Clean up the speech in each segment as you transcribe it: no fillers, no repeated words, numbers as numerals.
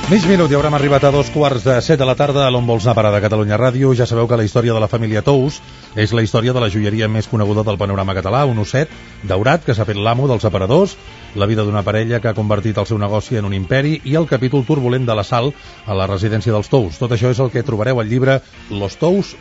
Mig minut i haurem arribat a 2:15 de la tarda a l'On vols anar a parar de Catalunya Ràdio. Ja sabeu que la història de la família Tous és la història de la joieria més coneguda del panorama català, un osset daurat que s'ha fet l'amo dels aparadors, la vida d'una parella que ha convertit el seu negoci en un imperi i el capítol turbulent de l'assalt a la residència dels Tous. Tot això és el que trobareu al llibre Los Tous.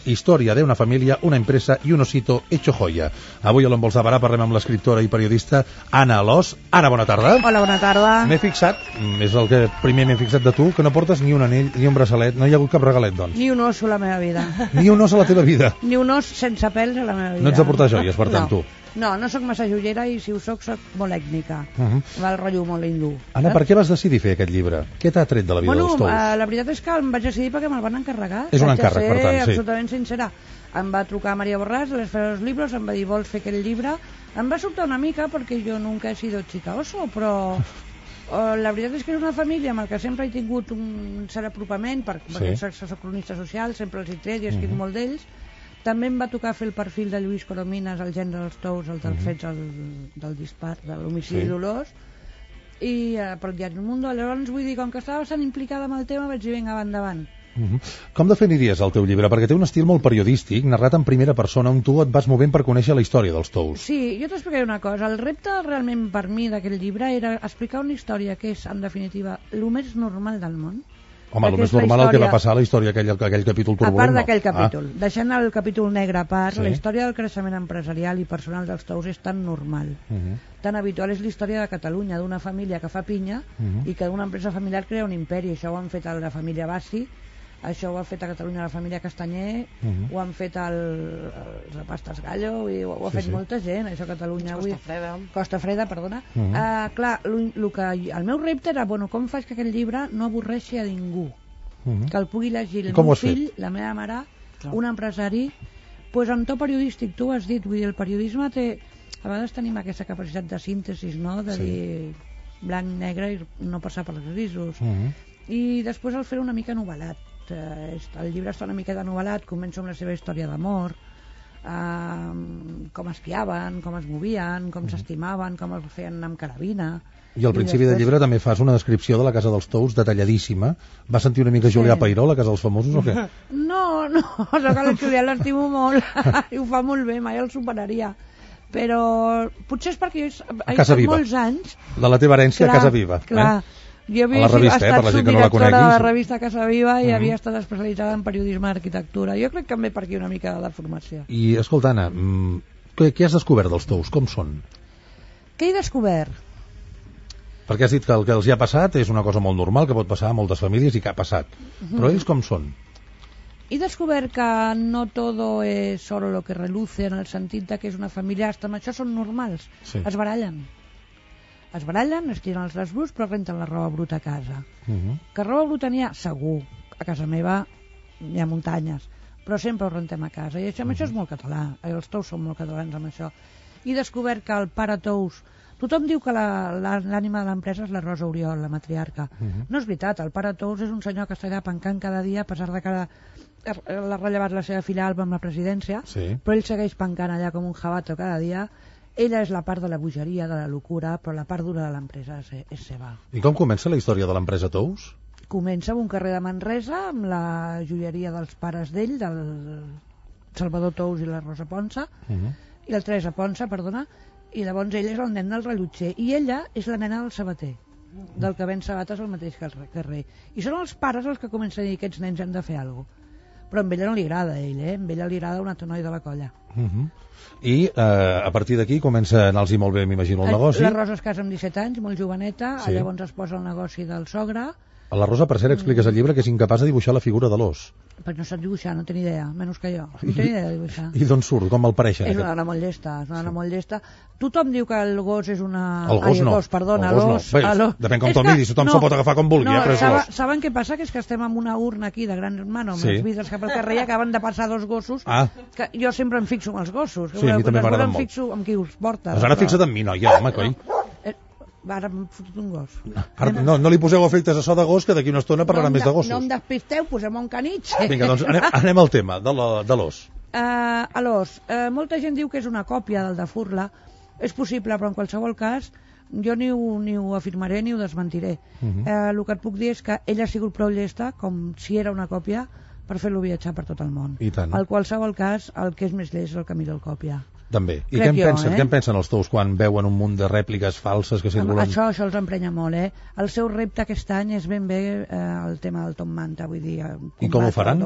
Història d'una família, una empresa i un osito hecho joya. Avui a l'On vols anar a parar parlem amb l'escriptora i periodista Anna Alòs. Anna, bona tarda. Hola, bona tarda. M'he fixat, és el que primer m'he fixat de tu, que no portes ni un anell ni un braçalet, no hi ha hagut cap regalet, doncs. Ni un os a la meva vida. Ni un os a la teva vida. Ni un os sense pèls a la meva vida. No ets de portar joies, per tant, tu. No sóc massa joiera i si ho soc molt ètnica. Va el rotllo molt hindú. Anna, per què vas decidir fer aquest llibre? Què t'ha tret de la vida dels Tous? La veritat és que em vaig decidir perquè me'l van encarregar. És un encàrrec, per tant, sí. Absolutament sincera. Em va trucar Maria Borràs de l'Esfera dels Libros, em va dir, vols fer aquest llibre? Em va sobtar una mica perquè jo nunca he sido chica oso, però la veritat és que és una família amb la que sempre he tingut un cert apropament, perquè soc cronista social, sempre els he tret i he escrit molt d'ells. També em va tocar fer el perfil de Lluís Coromines, el gendre dels Tous, el dels fets del dispar, de l'homicidi dolós, i per el diari El Mundo. Llavors, vull dir, com que estava bastant implicada amb el tema, vaig dir, vinga, va endavant. Com definiries el teu llibre? Perquè té un estil molt periodístic, narrat en primera persona, on tu et vas movent per conèixer la història dels Tous. Sí, jo t'explicaré una cosa. El repte realment per mi d'aquest llibre era explicar una història que és, en definitiva, el més normal del món. Home, el més normal el que va passar a la història, aquell capítol turbulent. A part d'aquell capítol. Deixant el capítol negre a part, la història del creixement empresarial i personal dels Tous és tan normal, tan habitual. És la història de Catalunya, d'una família que fa pinya i que d'una empresa familiar crea un imperi. Això ho han fet a la família Bassi, això ho ha fet a Catalunya la família Castanyer, ho han fet els Pastes Gallo, i ho ha fet molta gent, això a Catalunya. Costa Freda, perdona. Clar, el meu repte era, com faig que aquest llibre no avorreixi a ningú, que el pugui llegir el meu fill, la meva mare, un empresari, doncs en to periodístic, tu ho has dit, vull dir, el periodisme té, a vegades tenim aquesta capacitat de síntesi, no?, de dir blanc, negre i no passar per els grisos, i després el fer una mica novel·lat. El llibre està una miqueta novel·lat, comença amb la seva història d'amor, com espiaven, com es movien, com s'estimaven, com els feien anar amb carabina. I al principi del llibre també fas una descripció de la casa dels Tous detalladíssima. Vas sentir una mica Julià Peiró, la casa dels famosos, o què? No, sóc a la Julià, l'estimo molt i ho fa molt bé, mai el superaria. Però potser és perquè he estat molts anys... De la teva herència a Casa Viva. Clar, jo havia estat subdirectora de la revista Casa Viva i havia estat especialitzada en periodisme d'arquitectura. Jo crec que em ve per aquí una mica de formació. I, escolta, Anna, què has descobert dels Tous? Com són? Què he descobert? Perquè has dit que el que els hi ha passat és una cosa molt normal, que pot passar a moltes famílies i que ha passat. Però ells com són? He descobert que no todo es oro lo que reluce, en el sentit que és una família, hasta amb això són normals. Es barallen, es tiren els draps bruts, però renten la roba bruta a casa. Que roba bruta n'hi ha? Segur. A casa meva hi ha muntanyes, però sempre ho rentem a casa. I això és molt català. Els Tous són molt catalans amb això. He descobert que el pare Tous... Tothom diu que l'ànima de l'empresa és la Rosa Oriol, la matriarca. No és veritat. El pare Tous és un senyor que està allà pencant cada dia, a pesar de que l'ha rellevat la seva filla Alba amb la presidència, però ell segueix pencant allà com un jabato cada dia. Ella és la part de la bogeria, de la locura, però la part dura de l'empresa és seva. I com comença la història de l'empresa Tous? Comença en un carrer de Manresa, amb la joieria dels pares d'ell, del Salvador Tous i la Rosa Ponsa, i la Teresa Ponsa, perdona, i llavors ell és el nen del rellotger, i ella és la nena del sabater, del que ven sabates al mateix carrer. I són els pares els que comencen a dir que aquests nens han de fer alguna cosa. Però a ella no li agrada, amb ella li agrada un altre noi de la colla. I a partir d'aquí comença a anar-los molt bé, m'imagino, el negoci. La Rosa es casa amb 17 anys, molt joveneta, llavors es posa el negoci del sogre. A la Rosa, per cert, expliques al llibre que és incapaç de dibuixar la figura de l'os. Perquè no sap dibuixar, no té ni idea, menys que jo. No té ni idea de dibuixar. I d'on surt? Com el pareixen? És una dona molt llesta, Tothom diu que el gos és una... El gos no. L'os. Depèn com te'l miris, tothom s'ho pot agafar com vulgui, però és l'os. Saben què passa? Que és que estem en una urna aquí de gran hermano, amb els vidres cap al carrer, i acaben de passar dos gossos, que jo sempre em fixo en els gossos. Sí, a mi també m'agraden molt. Em fixo en qui els porta. Doncs ara fixa't en mi, noia, home, coi. Ara m'he fotut un gos. No li poseu efectes a so de gos, que d'aquí una estona parlarà més de gossos. No em despisteu, posem un canitx. Vinga, doncs anem al tema de l'os. A l'os. Molta gent diu que és una còpia del de Furla. És possible, però en qualsevol cas Jo ni ho afirmaré ni ho desmentiré. El que et puc dir és que ella ha sigut prou llesta, com si era una còpia, per fer-lo viatjar per tot el món. I tant. En qualsevol cas, el que és més llest és el que mira el còpia. També. I què en pensen els tous quan veuen un munt de rèpliques falses que circulen? Això els emprenya molt, El seu repte aquest any és ben bé el tema del Top Manta, vull dir... I com ho faran?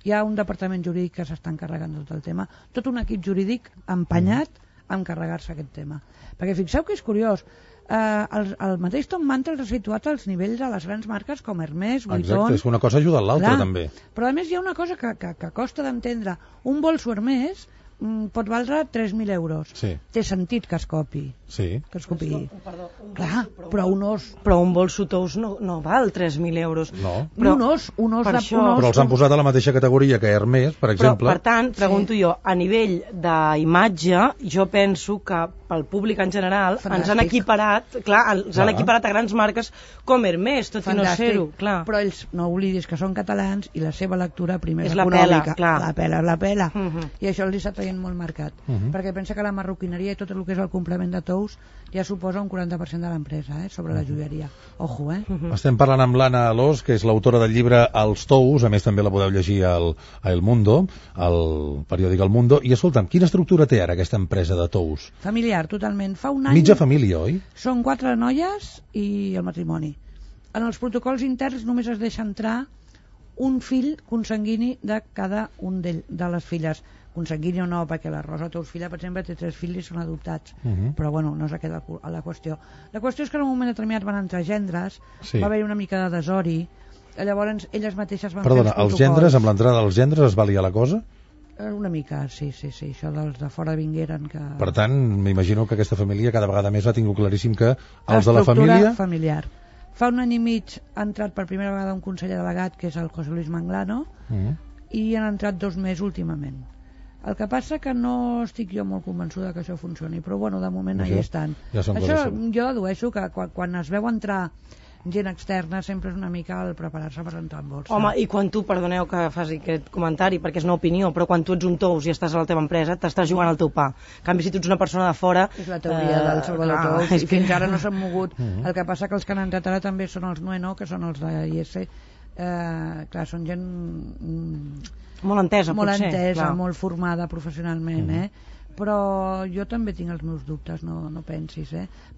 Hi ha un departament jurídic que s'està encarregant de tot el tema, tot un equip jurídic empenyat a encarregar-se aquest tema. Perquè fixeu que és curiós, el mateix Top Manta els ha situat als nivells de les grans marques com Hermès, Vuitton... Exacte, és que una cosa ajuda a l'altra també. Però a més hi ha una cosa que costa d'entendre. Un bolso Hermès pot valdre 3.000 euros. Sí. Té sentit que es copi. Sí. Que es copi. Perdó, Clar, però un os... Però un bolso Tous no val 3.000 euros. No. Però, un os però els han posat a la mateixa categoria que Hermès, per exemple. Però, per tant, pregunto jo, a nivell d'imatge, jo penso que pel públic en general ens han equiparat, han equiparat a grans marques com Hermès, tot i no ser-ho. Però ells, no oblidis que són catalans i la seva lectura primer és econòmica. La pela. I això els està traient molt marcat. Perquè pensa que la marroquineria i tot el que és el complement de tous ja suposa un 40% de l'empresa, sobre la joieria. Ojo, Estem parlant amb l'Anna Alòs, que és l'autora del llibre Els tous, a més també la podeu llegir a El Mundo, al periòdic El Mundo, i escolta'm, quina estructura té ara aquesta empresa de tous? Familiar, totalment. Fa un any... Mitja família, oi? Són 4 noies i el matrimoni. En els protocols interns només es deixa entrar un fill consanguini de cada un de les filles. Consanguini o no, perquè la Rosa Tous filla, per exemple, té 3 fills i són adoptats. Però bueno, no és aquesta la qüestió. La qüestió és que en un moment determinat van entrar gendres, va haver una mica de desori, llavors elles mateixes van fer els protocols. Els gendres, amb l'entrada dels gendres es va liar la cosa? Una mica, sí, això dels de fora vingueren que... Per tant, m'imagino que aquesta família cada vegada més ha tingut claríssim que els de la família... familiar. Fa un any i mig ha entrat per primera vegada un conseller delegat, que és el José Luis Manglano, i han entrat 2 més últimament. El que passa que no estic jo molt convençuda que això funcioni, però bueno, de moment allà estan. Això jo dedueixo que quan es veu entrar gent externa sempre és una mica el preparar-se per entrar en bolsa. Home, i quan tu, perdoneu que faci aquest comentari, perquè és una opinió, però quan tu ets un tous i estàs a la teva empresa, t'estàs jugant al teu pa. En canvi, si tu ets una persona de fora... És la teoria del Salvador Tous, i fins ara no s'han mogut. El que passa que els que han entrat ara també són els Nueno, que són els d'IS. Clar, són gent... molt entesa, molt formada professionalment, però jo també tinc els meus dubtes, no pensis,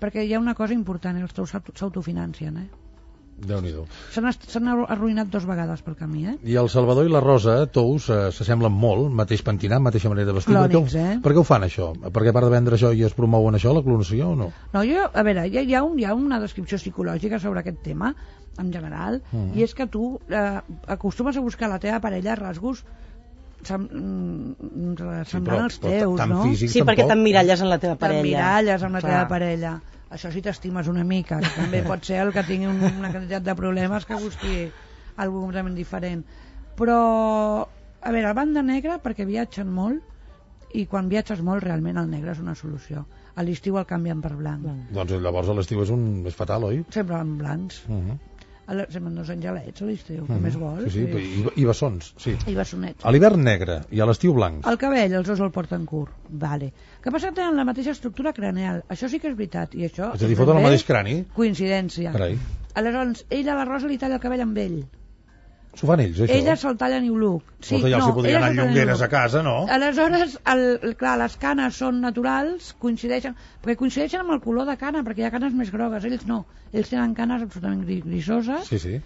perquè hi ha una cosa important, els tous s'autofinancien, Déu-n'hi-do. S'han arruïnat 2 vegades pel camí, I el Salvador i la Rosa, tous, s'assemblen molt, mateix pentinat, mateixa manera de vestir. Clònics, Per què ho fan això? Perquè a part de vendre això i es promouen això, la clonació o no? No, a veure, hi ha una descripció psicològica sobre aquest tema, en general, i és que tu acostumes a buscar la teva parella rasgos semblant als teus, no? Sí, perquè t'emmiralles en la teva parella. T'emmiralles en la teva parella. Això sí t'estimes una mica, que també pot ser el que tingui una quantitat de problemes que busqui algú completament diferent. Però, a veure, banda negra perquè viatgen molt i quan viatges molt realment el negre és una solució. A l'estiu el canvien per blanc. Doncs llavors a l'estiu és fatal, oi? Sempre en blancs. Sempre dos angelets a l'estiu, què més vols? Sí, i bessons, sí. I bessonets. A l'hivern negre i a l'estiu blanc. El cabell, els dos el porten curt. Vale. Que passa que tenen la mateixa estructura craneal. Això sí que és veritat. I això és a dir, foten el mateix crani? Coincidència. Carai. Aleshores, ella, la Rosa, li talla el cabell amb ell. S'ho fan ells, això? Elles se'l tallen New Look. Sí, ja els hi podrien anar llongueres a casa, no? Aleshores, clar, les canes són naturals, perquè coincideixen amb el color de cana, perquè hi ha canes més grogues, ells no. Ells tenen canes absolutament grisoses. Sí.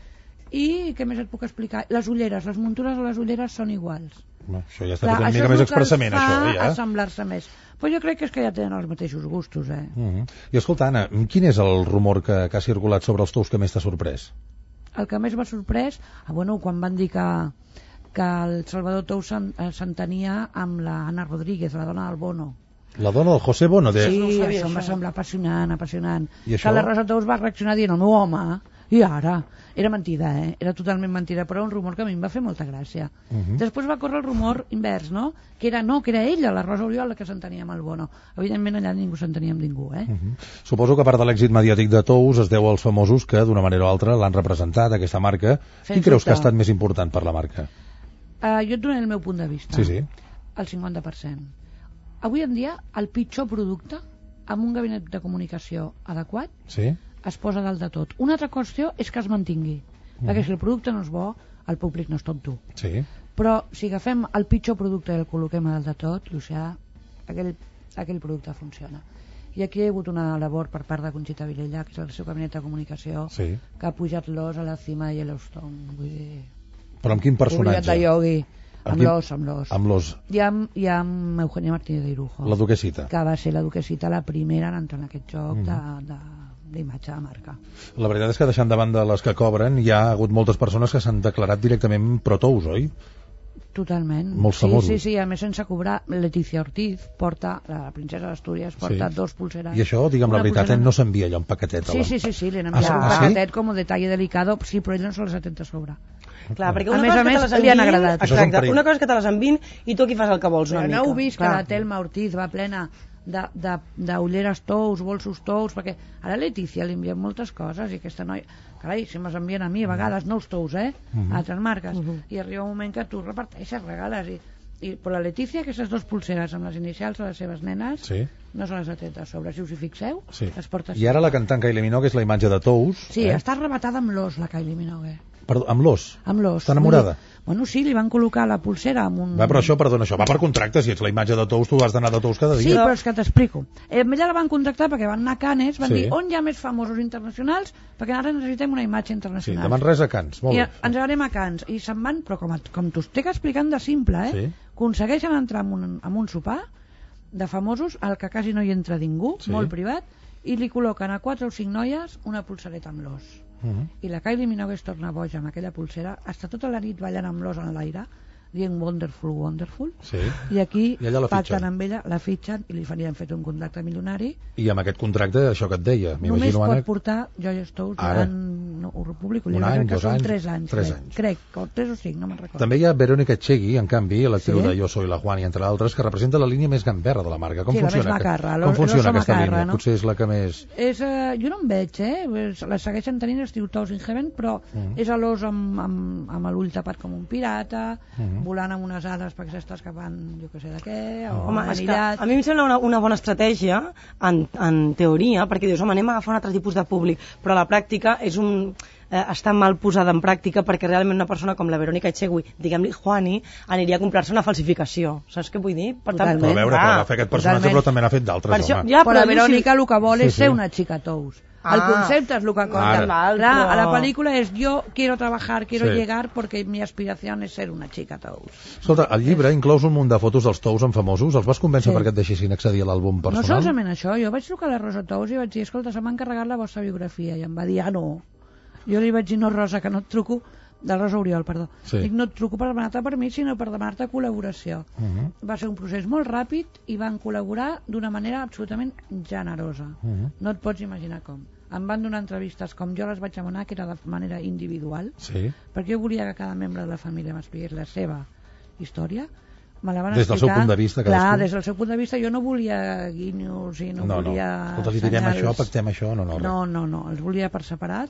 I què més et puc explicar? Les ulleres, les muntures de les ulleres són iguals. Això ja està fet una mica més expressament, això. Això és el que fa assemblar-se més. Però jo crec que és que ja tenen els mateixos gustos, I escolta, Anna, quin és el rumor que ha circulat sobre els tous que més t'ha sorprès? El que més m'ha sorprès, quan van dir que el Salvador Tous s'entenia amb la Ana Rodríguez, la dona del Bono. La dona del José Bono? Sí, això em va semblar apassionant. I que la Rosa Tous va reaccionar dient, no, home, i ara? Era mentida, era totalment mentida, però un rumor que a mi em va fer molta gràcia. Després va córrer el rumor invers, no? Que era ella, la Rosa Oriol, la que s'entenia amb el Bono. Evidentment allà ningú s'entenia amb ningú, Suposo que a part de l'èxit mediàtic de Tous es deu als famosos que d'una manera o altra l'han representat, aquesta marca. Qui creus que ha estat més important per la marca? Jo et donaré el meu punt de vista. Sí. El 50%. Avui en dia el pitjor producte amb un gabinet de comunicació adequat, Sí. es posa dalt de tot. Una altra qüestió és que es mantingui, perquè si el producte no és bo, el públic no és tonto. Sí. Però si agafem el pitjor producte i el col·loquem a dalt de tot, Llucià, aquell producte funciona. I aquí hi ha hagut una labor per part de Conxita Vilella, que és el seu gabinet de comunicació, Sí. que ha pujat l'os a la cima de Yellowstone. Vull dir, Però amb quin personatge? publicat de Yogi, amb quin- l'os, amb l'os. Amb l'os. I amb Eugenia Martínez de Irujo, La duquesita. que va ser la duquesita la primera en entrar en aquest joc d'imatge de marca. La veritat és que deixant de banda les que cobren, hi ha hagut moltes persones que s'han declarat directament pro-tous, oi? Totalment. Molts famosos. Sí, a més sense cobrar. Leticia Ortiz porta, la princesa d'Astúries, porta Sí. 2 pulseres. I això, digue'm la Una veritat, pulsera- no s'envia allò en paquetet. Sí, li han enviat un sí? paquetet com un detall delicat, sí, però ell no se les atenta a sobre. Clar, perquè A una més cosa a és que més, te les li han enviïn- agradat. Això és un Exacte, perill. una cosa és que te les enviïn i tu aquí fas el que vols una Però mica. no heu vist que Clar. la Telma Ortiz va plena d'ulleres tous, bolsos tous, perquè ara a Letícia li envien moltes coses i aquesta noia, carai, si me'ls envien a mi a vegades, no els tous, a altres marques, i arriba un moment que tu reparteixes, regales, però la Letícia, aquestes 2 pulseres amb les inicials de les seves nenes, Sí. no se les atenta a sobre, si us hi fixeu, Sí. les porta I ara la cantant Kylie Minogue és la imatge de tous. Sí, està arrebatada amb l'os, la Kylie Minogue. Perdó, amb l'os. Amb l'os. Està enamorada? Bueno, sí, li van col·locar la pulsera amb un... Va, però això, perdona, això va per contracte. Si ets la imatge de tous, tu has d'anar de tous cada Sí, dia. però és que t'explico. Ella la van contractar perquè van anar a Canes, van Sí. dir on hi ha més famosos internacionals, perquè ara necessitem una imatge Sí, internacional. de Manresa a Cans. Molt I bé. ens anem a Canes i se'n van, però com t'ho estic explicant de simple, Sí. aconsegueixen entrar en un sopar de famosos al que quasi no hi entra ningú, Sí. molt privat, i li col·loquen a 4 o 5 noies una pulsereta amb l'os. I la Kylie Minogue es torna boja amb aquella pulsera, està tota la nit ballant amb l'os en l'aire, dient wonderful, wonderful, Sí. i aquí I allà la pacten fitxen. amb ella, la fitxen i li farien fet un contracte milionari. I amb aquest contracte, això que et deia, Només m'imagino, pot Anna, portar Joy Stous Ara. durant, no, ho publico, Un any, crec que 2 són anys, 3 anys. 3 anys. Crec, o 3 o 5, no me'n recordo. També hi ha Verónica Echegui, en canvi, l'actriu Sí. de Yo soy la Juani, entre altres, que representa la línia més gamberra de la marca. Com Sí, la més funciona, macarra, com l'oso funciona aquesta macarra, línia? no? Potser és la que més... Jo no en veig, la segueixen tenint, es diu Toes in Heaven, però és a l'os amb l'ull tapat com un pirata, volant amb unes ales perquè s'està escapant, jo que sé de què, o Home, és que manillat. a mi em sembla una bona estratègia en teoria, perquè dius, home, anem a agafar un altre tipus de públic, però a la pràctica està mal posada en pràctica perquè realment una persona com la Verónica Echegui, diguem-li Juani, aniria a comprar-se una falsificació. Saps què vull dir? Per tant, Però a veure, que va fer aquest personatge, totalment. però també n'ha fet d'altres, per això, home. ja, Però la jo Verònica el que vol és Sí, sí. ser una xica tous. El concepte és el que compta. Ara. Val, Clar, però- a la pel·lícula és yo quiero trabajar, quiero Sí. llegar porque mi aspiración es ser una chica tous. Escolta, al llibre inclous un munt de fotos dels tous amb famosos. Els vas convèncer Sí. perquè et deixessin accedir a l'àlbum No personal? solament això, jo vaig trucar a la Rosa Tous i vaig dir, escolta, se m'ha encarregat la vostra biografia, i em va dir, no. Jo li vaig dir, no, Rosa, que no et truco, de Rosa Oriol, perdó. Sí. Dic, no et truco per demanar-te permís, sinó per demanar-te col·laboració. Va ser un procés molt ràpid i van col·laborar d'una manera absolutament generosa. No et pots imaginar com. Em van donar entrevistes com jo les vaig demanar, que era de manera individual, Sí. perquè jo volia que cada membre de la família m'expliqués la seva història. Me la van Des del seu explicar. punt de vista, Clar, cadascú. des del seu punt de vista, jo no volia guinyos i no volia... Escolta, li direm senyals. això, pactem això, No, els volia per separat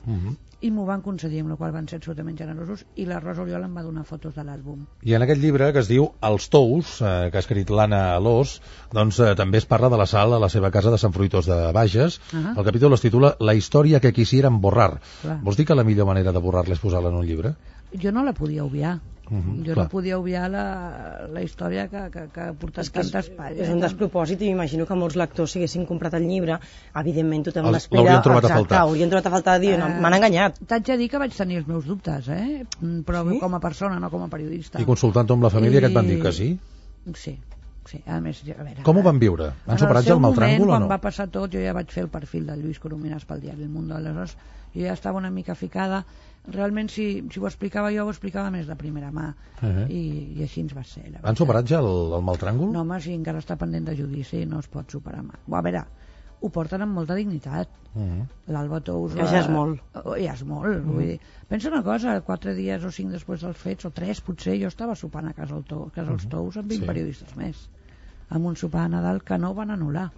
i m'ho van concedir, amb la qual van ser absolutament generosos, i la Rosa Oriol em va donar fotos de l'àlbum. I en aquest llibre, que es diu Els tous, que ha escrit l'Anna Alós, doncs també es parla de la Sal a la seva casa de Sant Fruitós de Bages. El capítol es titula La història que quisieran borrar. Clar. Vols dir que la millor manera de borrar-la és posar-la en un llibre? Jo no la podia obviar. Jo clar. no podia obviar la història que ha portat tantes palles. És un despropòsit i m'imagino que molts lectors, si haguessin comprat el llibre, evidentment tothom Els- l'espera. l'haurien trobat a Exacte, faltar. haurien trobat a faltar, dir, no, m'han enganyat. T'haig de dir que vaig tenir els meus dubtes, però Sí? com a persona, no com a periodista. I consultant-ho amb la família, que et van dir que sí? Sí. A més, a veure... Com ho van viure? Han superat ja el mal tràngol o quan no? va passar tot, jo ja vaig fer el perfil del Lluís Corominas pel diari El Mundo, aleshores jo ja estava una mica ficada. Realment, si ho explicava jo, ho explicava més de primera mà. I així ens va ser. La Han veritat. superat ja el mal tràngol? No, home, si encara està pendent de judici, no es pot superar mai. A veure, ho porten amb molta dignitat. L'Alba Tous... Que ja és molt. Ja és molt. Vull dir, pensa una cosa, 4 dies o 5 després dels fets, o 3 potser, jo estava sopant a casa els Tous amb 20 periodistes més, amb un sopar a Nadal que no van anul·lar,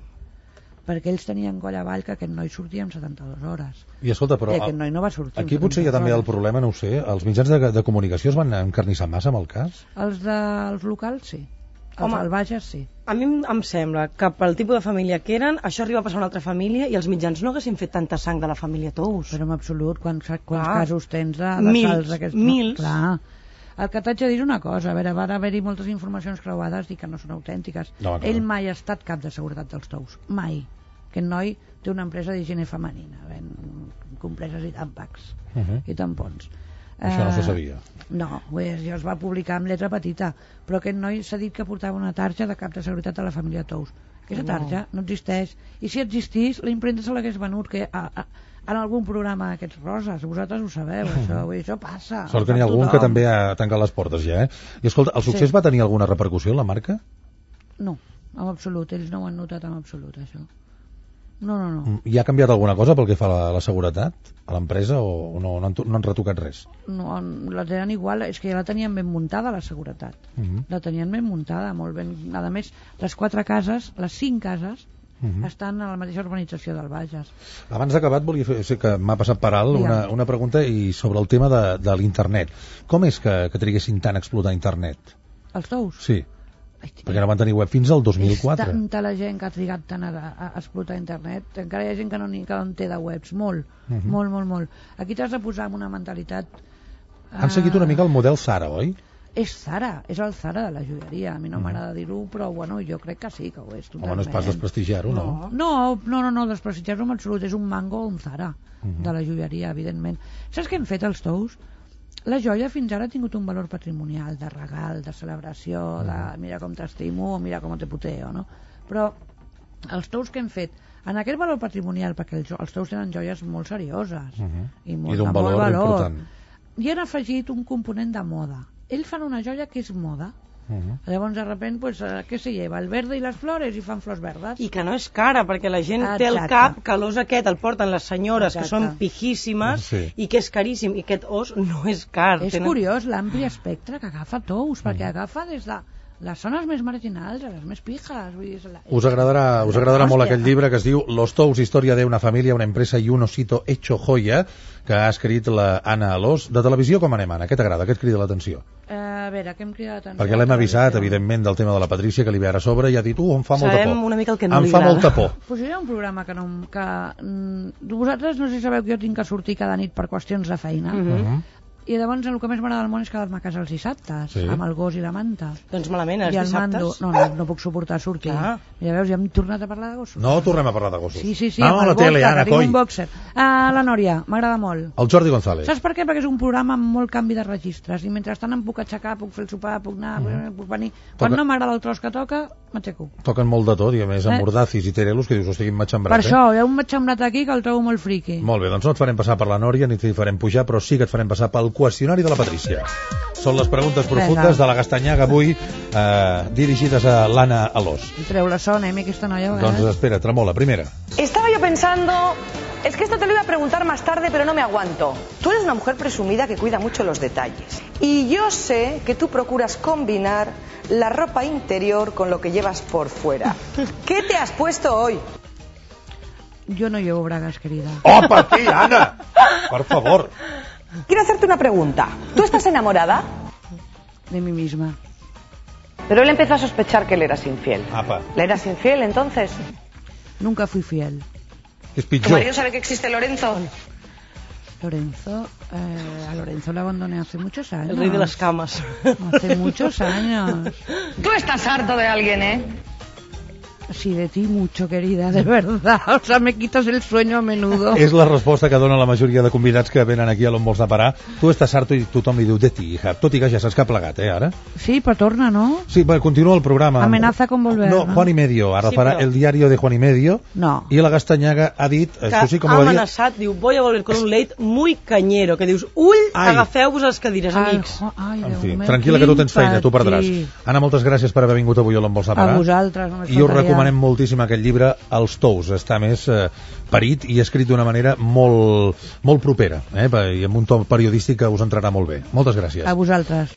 perquè ells tenien coll avall que aquest noi sortia en 72 hores. I escolta, però I aquest noi no va sortir aquí en potser hi ha 72 també el hores. problema, no ho sé, els mitjans de comunicació es van encarnissar massa amb el cas? Els dels locals, sí. Els al Bages sí. A mi em sembla que pel tipus de família que eren, això arriba a passar a una altra família i els mitjans no haguessin fet tanta sang de la família Tous. Però en absolut, quants casos tens de mils, salts aquests? mils. Clar. El que t'haig de dir és una cosa, a veure, van haver-hi moltes informacions creuades i que no són autèntiques. No, Ell mai ha estat cap de seguretat dels Tous, mai. Aquest noi té una empresa d'higiene femenina, ven compreses i tàmpacs i tampons. Això no se sabia. No, ja es va publicar amb lletra petita, però aquest noi s'ha dit que portava una tarja de cap de seguretat a la família Tous. Aquesta tarja no existeix, i si existís la impremta se l'hagués venut que en algun programa d'aquests roses, vosaltres ho sabeu, això passa. Sort que n'hi ha algun que també ha tancat les portes ja, I escolta, el succés va tenir alguna repercussió en la marca? No, en absolut, ells no ho han notat en absolut, això. No. I ha canviat alguna cosa pel que fa a la seguretat a l'empresa o no han retocat res? No, la tenen igual, és que ja la tenien ben muntada, la seguretat. La tenien ben muntada, molt ben. A més, les 4 cases, les 5 cases, estan a la mateixa urbanització del Bages. Abans d'acabar volia fer, sé que m'ha passat per alt una pregunta i sobre el tema de l'internet. Com és que triguessin tant a explotar internet? Els Tous? Sí. Perquè no van tenir web fins al 2004. És tanta la gent que ha trigat tant a explotar internet. Encara hi ha gent que no en té de webs. Molt. Aquí t'has de posar amb una mentalitat... Han seguit una mica el model Zara, oi? És Zara, és el Zara de la joieria. A mi no m'agrada dir-ho, però bueno, jo crec que sí, que ho és totalment. Home, no és pas desprestigiar-ho, no? No, desprestigiar-ho en absolut. És un Mango o un Zara de la joieria, evidentment. Saps què han fet els Tous? La joia fins ara ha tingut un valor patrimonial, de regal, de celebració, de mira com t'estimo o mira com te puteo, no? Però els Tous que hem fet, en aquest valor patrimonial, perquè els Tous tenen joies molt serioses i d'un valor important, i han afegit un component de moda. Ells fan una joia que és moda. Llavors de repente pues, què se lleva? El verde i les flores i fan flors verdes i que no és cara perquè la gent té el cap que l'os aquest el porten les senyores que són pijíssimes i que és caríssim i aquest os no és car. És curiós l'ampli espectre que agafa Tous perquè agafa des de les zones més marginals a les més pijas. Us agradarà molt aquest llibre que es diu Los Tous, història de una família, una empresa i un osito hecho joya, que ha escrit la Anna Alòs. De televisió com anem, Anna? Què t'agrada? Què et crida l'atenció? A veure, què em crida l'atenció? Perquè l'hem avisat, evidentment, del tema de la Patrícia, que li ve ara a sobre, i ha dit, em fa molta por. Sabem una mica el que no li agrada. Em fa molta por. Pues hi ha un programa que vosaltres no sé si sabeu que jo tinc que sortir cada nit per qüestions de feina. I llavors el que més m'agrada del món és quedar-me a casa els dissabtes, amb el gos i la manta. Doncs malament, els dissabtes? No puc suportar sortir. Mira, veus, ja hem tornat a parlar de gossos. No tornem a parlar de gossos. Sí, a la tele, Anna, coi. Un boxer. La Nòria, m'agrada molt. El Jordi González. Saps per què? Perquè és un programa amb molt canvi de registres i mentrestant em puc aixecar, puc fer el sopar, puc anar, puc venir. Quan no m'agrada el tros que toca, m'aixeco. Toquen molt de tot, i a més amb Mordacis i Terelos, que dius, hosti, quin matxembrat. Per això, hi ha un matxembrat aquí que el trobo molt friqui. Molt bé, doncs no et farem passar per la Nòria ni t'hi farem pujar, però sí que et farem passar pel qüestionari de la Patrícia. Són les preguntes profundes de la Gastanyaga avui, dirigides a l'Anna Alòs. Treu la son, aquesta noia. Doncs espera, tremola, primera. Estaba yo pensando, es que esto te lo iba a preguntar más tarde, pero no me aguanto. Tú eres una mujer presumida que cuida mucho los detalles. Y yo sé que tú procuras combinar la ropa interior con lo que llevas por fuera. ¿Qué te has puesto hoy? Yo no llevo bragas, querida. ¡Oh, para ti, Ana! Por favor. Quiero hacerte una pregunta. ¿Tú estás enamorada? De mí misma. Pero él empezó a sospechar que él eras infiel. Apa. ¿Le eras infiel entonces? Nunca fui fiel. Es pitjor. ¿Tu marido sabe que existe Lorenzo? Lorenzo, a Lorenzo le abandoné hace muchos años. El rey de las camas. Hace muchos años. Tú estás harto de alguien, ¿eh? Sí, de ti mucho, querida, de verdad. O sea, me quitas el sueño a menudo. És la resposta que dona la majoria de convidats que venen aquí a l'on vols anar a parar. Tu estàs harto i tothom li diu de ti, hija. Tot i que ja saps que ha plegat, ara? Sí, però torna, ¿no? Sí, continua el programa. Amenaza con volver, no? Juan y Medio. Ara farà el diario de Juan y Medio. No. I la Gastanyaga ha dit... Que ha amenaçat, diu, voy a volver con un late muy cañero. Que dius, agafeu-vos les cadires, amics. En fi, tranquil·la, que tu tens feina, tu perdràs. Anna, moltes gràcies per haver vingut avui a l'on vols anar a parar. A vosaltres, només I us recomanem moltíssim aquest llibre, Els Tous. Està més parit i escrit d'una manera molt propera, i amb un to periodístic que us entrarà molt bé. Moltes gràcies. A vosaltres.